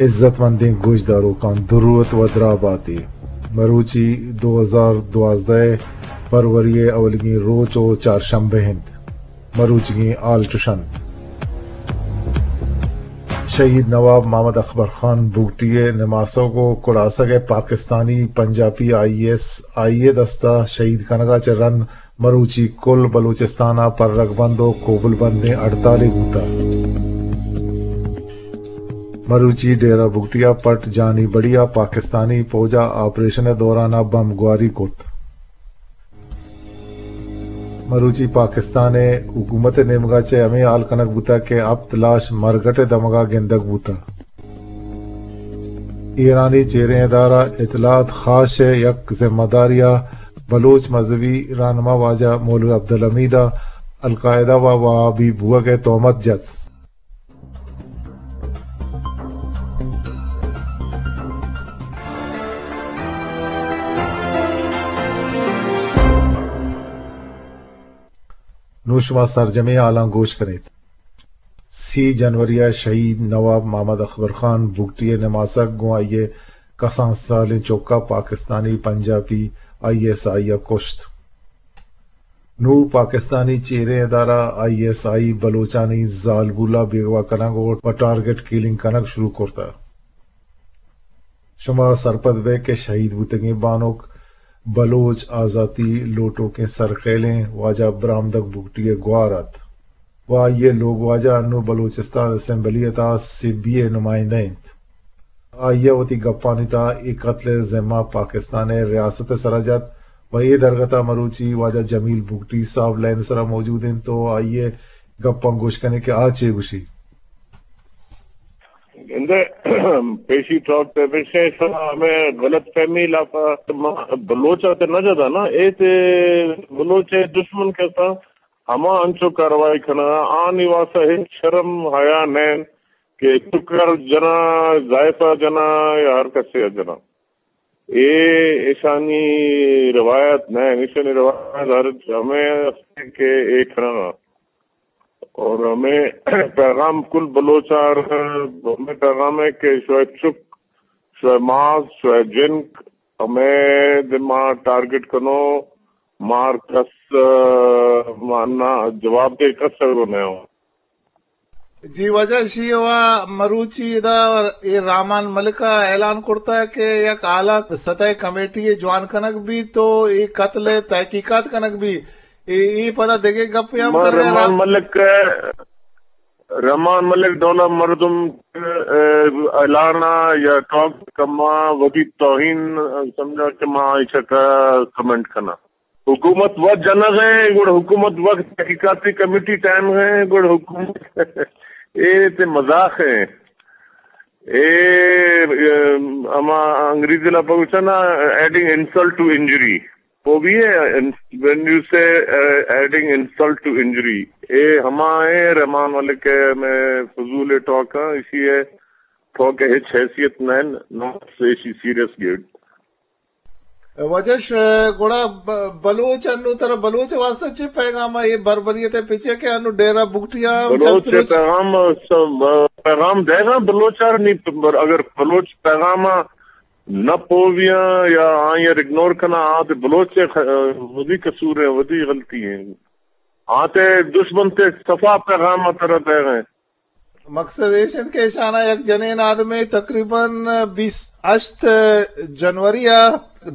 عزت مندیں گوشداروکاں درود و دراہ باتے۔ مروچی دو ہزار دوازدہ ءِ پروری ءِ اولیگیں روچ و چارشنبہ انت۔ مروچیگیں ہال چش انت: شہید نواب محمد اکبر خان بگٹی ءِ نماسگ و کڑاسگ ءِ پاکستانی پنجاپی آئی ایس آئی ءِ دست ءَ شہید کنگ ءَ چہ رند مروچی کل بلوچستان ءَ پرگ بند و کوبل بندیں ہڑتالے بوتگ۔ مروچی ڈیرہ بگٹی ءَ پٹ جانی بڑی ءَ پاکستانی پوج ءَ آپریشن ءِ دوران ءَ بمب گواری کت۔ مروچی پاکستان ءِ حکومت ءِ نیمگ ءَ چہ ہمے ہال کنگ بوتگ کہ ہپت لاش مرگٹ ءِ دمگ ءَ گندگ بوتگ۔ ایرانی چیریں ادارہ اطلاعات خاش ءِ یک ذمہ دارے ءَ بلوچ مذہبی رہنما واجہ مولوی عبدالحمید ءَ القاعدہ و وہابی بوگ ءِ تہمت جت۔ نوں شما سرجمیں ہالاں گوش کن ات۔ سی جنوری ءَ شہید نواب محمد اکبر خان بگٹی ءِ نماسگ گوں آئی ءِ کسان سالیں چک ءَ پاکستانی پنجاپی آئی ایس آئی ءَ کشت۔ نوں پاکستانی چیریں ادارہ آئی ایس آئی بلوچانی زالبول ءَ بیگواہ کنگ و پہ ٹارگٹ کلنگ کنگ شروع کرتگ۔ شما سرپد بئے کہ شہید بوتگیں بانک بلوچ آزاتی لوٹوکیں سرخیلیں واجہ برامدگ بگٹی ءِ گوار ات و آئی ءِ لوگواجہ انوں بلوچستان اسمبلی ءِ تہا سبی ءِ نمائندہ انت۔ آئی ءَ وتی گپانی تہا اے قتل ءِ ذمہ پاکستان ءِ ریاست ءِ سرا جت و اے درگت ءَ مروچی واجہ جمیل بگٹی صاحب لائن ءِ سرا موجود انت و آئی ءِ گپاں گوش کنیں کہ آ چے گوشی۔ گندے پیشی ٹاک تے پیشے شما ہمیں غلط فہمی لاپا ما بلوچ تے نہ جدا نا، اے تے بلوچ دشمن کسا ہما انچو کاروائی کنا، آنی واسطہ ہچ شرم حیا نین کہ چکر جنا، زائفہ جنا یا ہر کسے جنا۔ اے ایشانی روایت نہ، ایشانی روایت ہر ہمیں است کہ اے کھڑا۔ اور ہمیں پیغام کل بلوچ آر، ہمیں پیغام ہے کہ شوئے چک، شوئے ماس، شوئے جنک، ہمیں دما ٹارگٹ کنو، مار کس، آ، مانا جواب دے کس سگو نہ ہو۔ جی واجہ، شی وا مروچی ادا اے رحمان ملک ءَ اعلان کرتا کہ یک حالات سطح کمیٹی جوان کنگ بیت تو اے قتل تحقیقات کنگ بیت۔ اے، اے پدا دگہ گپے ہم من کرے رحمان را- ملک، رحمان ملک ڈولا مردم، اے، اعلان یا ٹاک کما وتی توہین سمجھا کہ ما ایشا کا کمنٹ کنا۔ حکومت وت جنگ ءَ، گڑا حکومت وقت تحقیقاتی کمیٹی ٹائم ءَ، گڑا حکومت اے تے مذاق ہے۔ اے، اے، ہما انگریزی لفظ گوشن نا، ایڈنگ انسلٹ ٹو انجری۔ وہ بھی ہے، when you say, uh, adding insult to injury۔ اے ہما ہے رحمان ملک ہے، میں فضول ٹاک ہاں، اسی ہے ٹاک ہچ حیثیت نہ، نہ سے اسی سیریس گیٹ۔ واجہ ش-، گڑا ب-، بلوچ انو ترا بلوچ واسطہ چی پیغام ہے؟ یہ بربریت ہے، پچے کہ انو ڈیرہ بگٹیا ہم بلوچ چترچ۔ پیغام، س-، پیغام دے گا بلوچ آر نہیں، پر اگر بلوچ پیغام نہ پوویاں یا آئی اگنور کنا، آ تے بلوچ خ-، ودی قصور ہیں، ودی غلطی ہیں۔ آ تے دشمن تے صفا پیغام ترا دے گئے۔ مقصد ایش انت کہ ایشانا یک جنین آدمے تقریباً بیست ہشت جنوری ءَ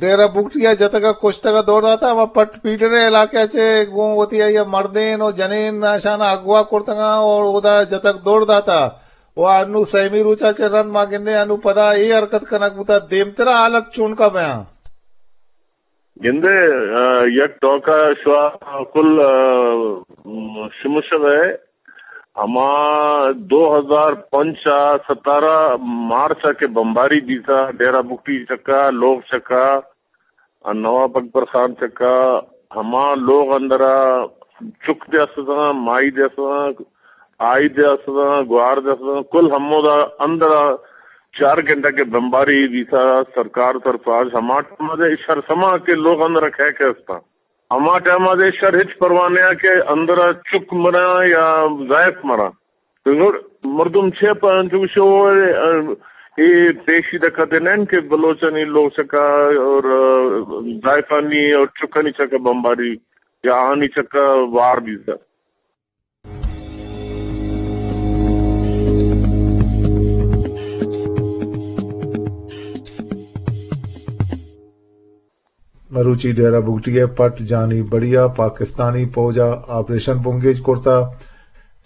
ڈیرہ بگٹی ءَ جتگ ءُ کشتگ ءُ دور داتگ۔ ہما پٹ پیڈر ءِ علاقہ ءَ چہ گوں وتی آئی ءِ مردین ءُ جنین اشانا اغوا کرتگ ءُ اودا جتگ دور داتگ ءُ انو سیمی روچ ءَ چہ رند ما گندیں انو پدا اے حرکت کنگ بوتگ۔ دیمترا حالت چونکا بیاں؟ گندے، آ، یک ٹوکا شوا کل، آ، م-، شمشگ ءَ ہما دو ہزار پنچ ءَ ستارہ مارچ ءَ کہ بمباری بیتا، ڈیرہ بگٹی چکا، لوگ چکا، آ، نواب اکبر خان چکا، ہما لوگ اندرا چک دے استاں، مائی دے استاں، آئی دے استاں، گوار دے استاں، کل ہمودا اندرا چار گھنٹہ کہ بمباری بیتا سرکار طرفا، ہما ٹائم دے شر سما کہ لوگ اندرا کھے کھے استاں۔ ہما ٹائم دے شر ہچ پرواہ نیا کہ اندرا چک مرا یا زائف مرا۔ تو مردم چے پہ انچو شو، اے، اے پیشی دکھتے نین کہ بلوچانی لوگ چکا اور زائفانی اور چکانی چکا بمباری یا آہانی چکا وار بیتا۔ مروچی ڈیرہ بگٹی ء پٹ جانی بڑی ء پاکستانی پوج ء آپریشن بنگیج کرتا۔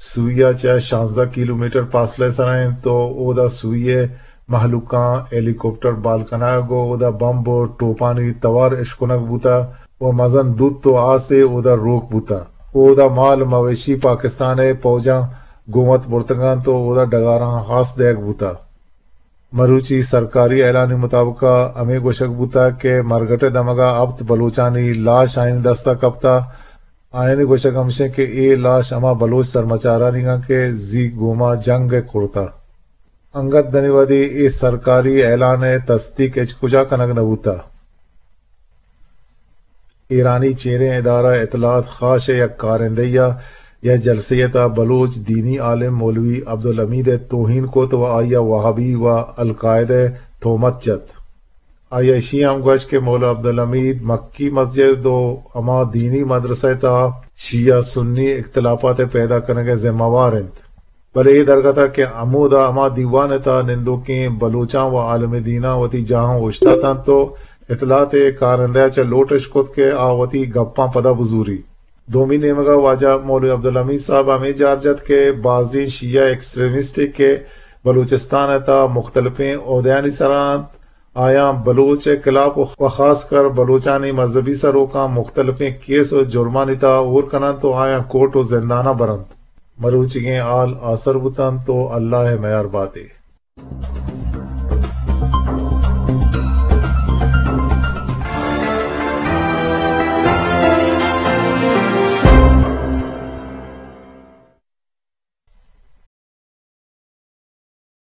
سوئی ء چہ شانزدہ کلومیٹر پاسلہ ء سرا انت تو اودا سوئی ء مہلوکاں ہیلی کاپٹر بال کنگ و اودا بمب و ٹوپانی توار اشکنگ بوتا و مزن دوت و آسے اودا روک بوتا۔ اودا مال مویشی پاکستان ء پوجاں گومت برتگاں تو اودا ڈگاراں ہاس دیگ بوتا۔ مروچی سرکاری اعلانی مطابق ء ہمے گوشگ بوتگ کہ مرگٹ ء دمگ ء ہپت بلوچانی لاش آئین دست ء کپتہ۔ آئین ء گوشگ ہمشیں کہ اے لاش ہما بلوچ سرمچارانی انت کہ زی گوما جنگ ء کرتہ۔ انگت دنی وھدی اے سرکاری اعلان ء تصدیق ہچ کجا کنگ نہ بوتہ۔ ایرانی چیریں ادارہ اطلاعات خاش ء یک کارندہی ء یک جلسے ء تہا بلوچ دینی عالم مولوی عبدالحمید ء توہین کت و آئی ء وہابی و القاعدہ ء تہمت جت۔ آئی ء اشی ہم گوشت کہ مولوی عبدالحمید مکی مسجد و ہما دینی مدرسہ ء تہا شیعہ سنی اختلافات ء پیدا کنگ ء ذمہ وار انت۔ بلے اے درگت ء کہ ہمودا ہما دیوان ء تہا نندوکیں بلوچاں و عالم دیناں وتی جاہاں اوشتاتاں تو اطلاعات ء کارندہ ء چہ لوٹ اش کت کہ آ وتی گپاں پدا بزوری۔ دومی نیمگ ء واجہ مولوی عبدالحمید صاحب ہمے جار جت کہ بازیں شیعہ ایکسٹریمسٹ کہ بلوچستان ء تہا مختلفیں عہدیانی سرا انت، آیاں بلوچ ء خلاف و خاص کر بلوچانی مذہبی سروکاں مختلفیں کیس و جرمانی تہا ہور کننت و آیاں کورٹ و زنداناں برنت۔ مروچیگیں حال آسر بوتنت و اللہ ء میار باتے۔